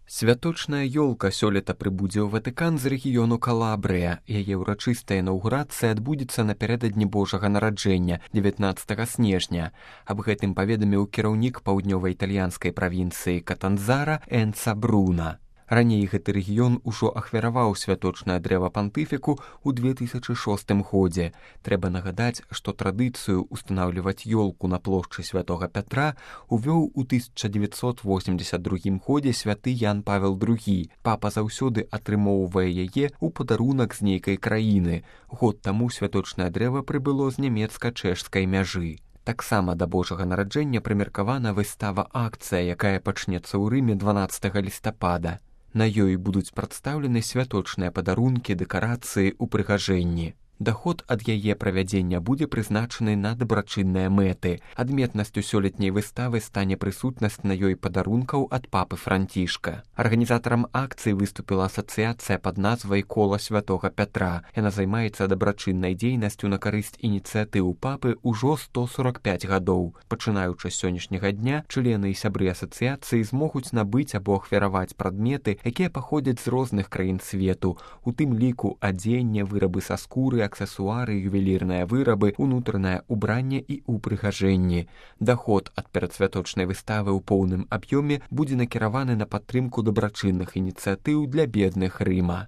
Святочная ёлка сёлета прыбудзе ў Ватыкан з рэгіёну Калабрыя. Яе ўрачыстая інаўгурацыя адбудзецца напярэдадні Божага нараджэння 19 снежня. Аб гэтым паведаміў кіраўнік паўднёва-італьянскай правінцыі Катанзара Энца Бруна. Раней гэты рэгіён ужо ахвяраваў святочнае дрэва пантыфіку ў 2006 годзе. Трэба нагадаць, што традыцыю ўстанаўліваць ёлку на плошчы святога Пятра увёў у 1982 годзе святы Ян Павел II. Папа заўсёды атрымоўвае яе ў падарунак з нейкай краіны. Год таму святочнае дрэва прыбыло з нямецка-чэшскай мяжы. Таксама да Божага нараджэння прымеркавана выстава-акцыя, якая пачнецца ў Рыме 12 лістапада. На ёй будуць прадстаўлены святочныя падарункі, дэкарацыі, упрыгажэнні. Даход ад яе правядзення будзе прызначаны на дабрачынныя мэты. Адметнасцю сёлетняй выставы стане прысутнасць на ёй падарункаў ад папы Францішка. Арганізатарам акцыі выступіла асацыяцыя пад назвай «Кола святога Пятра». Яна займаецца дабрачыннай дзейнасцю на карысць ініцыятыў папы ўжо 145 гадоў. Пачынаючы з сённяшняга дня, члены і сябры асацыяцыі змогуць набыць або ахвяраваць прадметы, якія паходзяць з розных краін свету, у тым ліку адзенне, вырабы са скуры, аксесуары, ювелірныя вырабы, унутранае ўбранне і упрыгажэнні. Даход ад перадсвяточнай выставы ў поўным аб'ёме будзе накіраваны на падтрымку дабрачынных ініцыятыў для бедных Рыма.